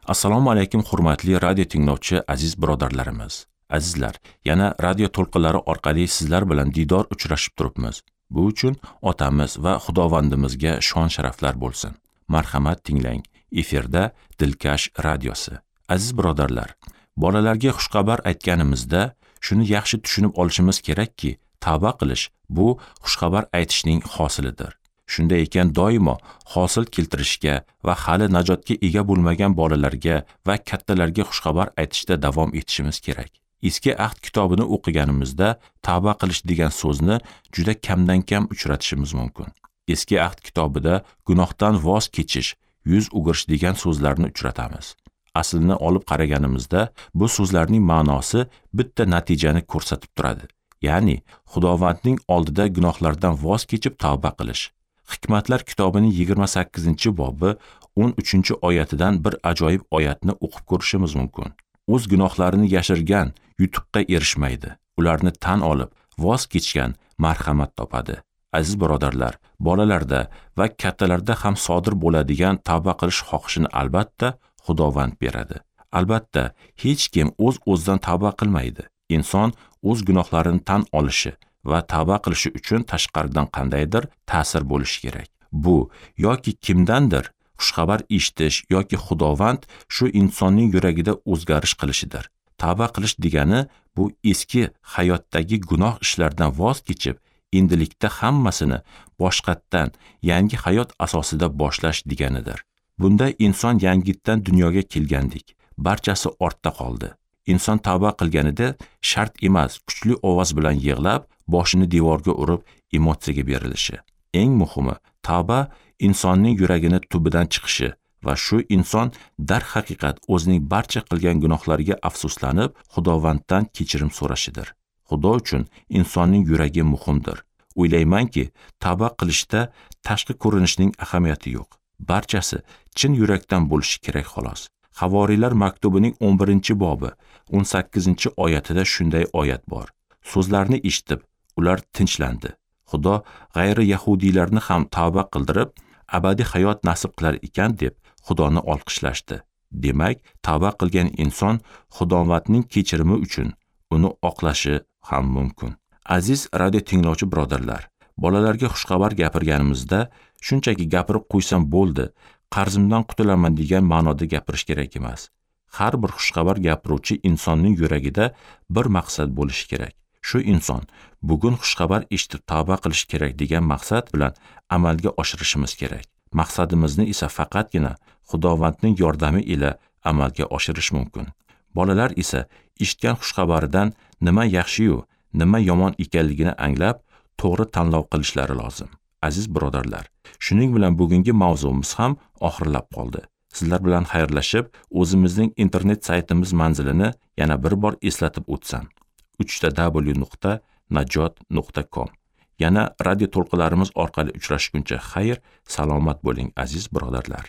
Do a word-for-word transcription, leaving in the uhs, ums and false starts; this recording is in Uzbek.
Assalomu alaykum hurmatli radio tinglovchi aziz birodarlarimiz. Azizlar, yana radio to'lqinlari orqali sizlar bilan diydor uchrashib turibmiz. Bu uchun otamiz va Xudovandimizga shon sharaflar bo'lsin. Marhamat tinglang. Efirda Dilkash radiosi. Aziz birodarlar, bolalarga xushxabar aytganimizda shuni yaxshi tushunib olishimiz kerakki, tavba qilish bu xushxabar aytishning hosilidir. Shunday ekan, doimo hosil keltirishga va hali najotga ega bo'lmagan bolalarga va kattalarga xushxabar aytishda davom etishimiz kerak. Eski ahd kitobini o'qiganimizda tavba qilish degan so'zni juda kamdan-kam uchratishimiz mumkin. Eski ahd kitobida gunohdan voz kechish, yuz o'girish degan so'zlarni uchratamiz. Aslini olib qaraganimizda bu so'zlarning ma'nosi bitta natijani ko'rsatib turadi. Ya'ni Xudovandning oldida gunohlardan voz kechib tavba qilish. Hikmatlar kitobining yigirma sakkizinchi bobi o'n uchinchi oyatidan bir ajoyib oyatni o'qib ko'rishimiz mumkin. O'z gunohlarini yashirgan yutuqqa erishmaydi. Ularni tan olib, voz kechgan marhamat topadi. Aziz birodarlar, bolalarda va kattalarda ham sodir bo'ladigan tavba qilish xohishini albatta Xudovand beradi. Albatta, hech kim o'z-o'zidan tavba qilmaydi. Inson o'z gunohlarini tan olishi va tavba qilishi uchun tashqaridan qandaydir ta'sir bo'lishi kerak. Bu yoki kimdandir xushxabar eshitish yoki Xudovand shu insonning yuragida o'zgarish qilishidir. Tavba qilish degani bu eski hayotdagi gunoh ishlardan voz kechib, endilikda hammasini boshqatdan yangi hayot asosida boshlash deganidir. Bunda inson yangitdan dunyoga kelgandik, barchasi ortda qoldi. Inson tavba qilganida shart emas kuchli ovoz bilan yig'lab, boshini devorga urib emotsiyaga berilishi. Eng muhimi, tavba insonning yuragini tubidan chiqishi va shu inson darhaqiqat o'zining barcha qilgan gunohlariga afsuslanib, Xudovanddan kechirim so'rashidir. Xudo uchun insonning yuragi muhimdir. O'ylaymanki, tavba qilishda tashqi ko'rinishning ahamiyati yo'q. Barchasi chin yurakdan bo'lishi kerak xolos. Havoriylar maktubining o'n birinchi bobi o'n sakkizinchi oyatida shunday oyat bor. So'zlarni eshitib, ular tinchlandi. Xudo g'ayri yahudiylarni ham tavba qildirib, abadiy hayot nasib qilar ekan deb Xudoni olqishlashdi. Demak, tavba qilgan inson Xudovandning kechirimi uchun uni oqlashi ham mumkin. Aziz radio tinglovchi birodarlar, bolalarga xushxabar gapirganimizda shunchaki gapirib qo'ysam bo'ldi, qarzimdan qutulaman degan ma'noda gapirish kerak emas. Har bir xushxabar gapiruvchi insonning yuragida bir maqsad bo'lishi kerak. Shu inson bugun xushxabar eshitib tavba qilish kerak degan maqsad bilan amalga oshirishimiz kerak. Maqsadimizni esa faqatgina Xudovandning yordami ila amalga oshirish mumkin. Bolalar esa eshitgan xushxabaridan nima yaxshi-yu, nima yomon ekanligini anglab, to'g'ri tanlov qilishlari lozim. Aziz birodarlar, shuning bilan bugungi mavzumiz ham oxirlab qoldi. Sizlar bilan xayrlashib, o'zimizning internet saytimiz manzilini yana bir bor eslatib o'tsam. uch ta w nuqta najot nuqta com. Yana radio to'lqinlarimiz orqali uchrashguncha xayr, salomat bo'ling aziz birodarlar.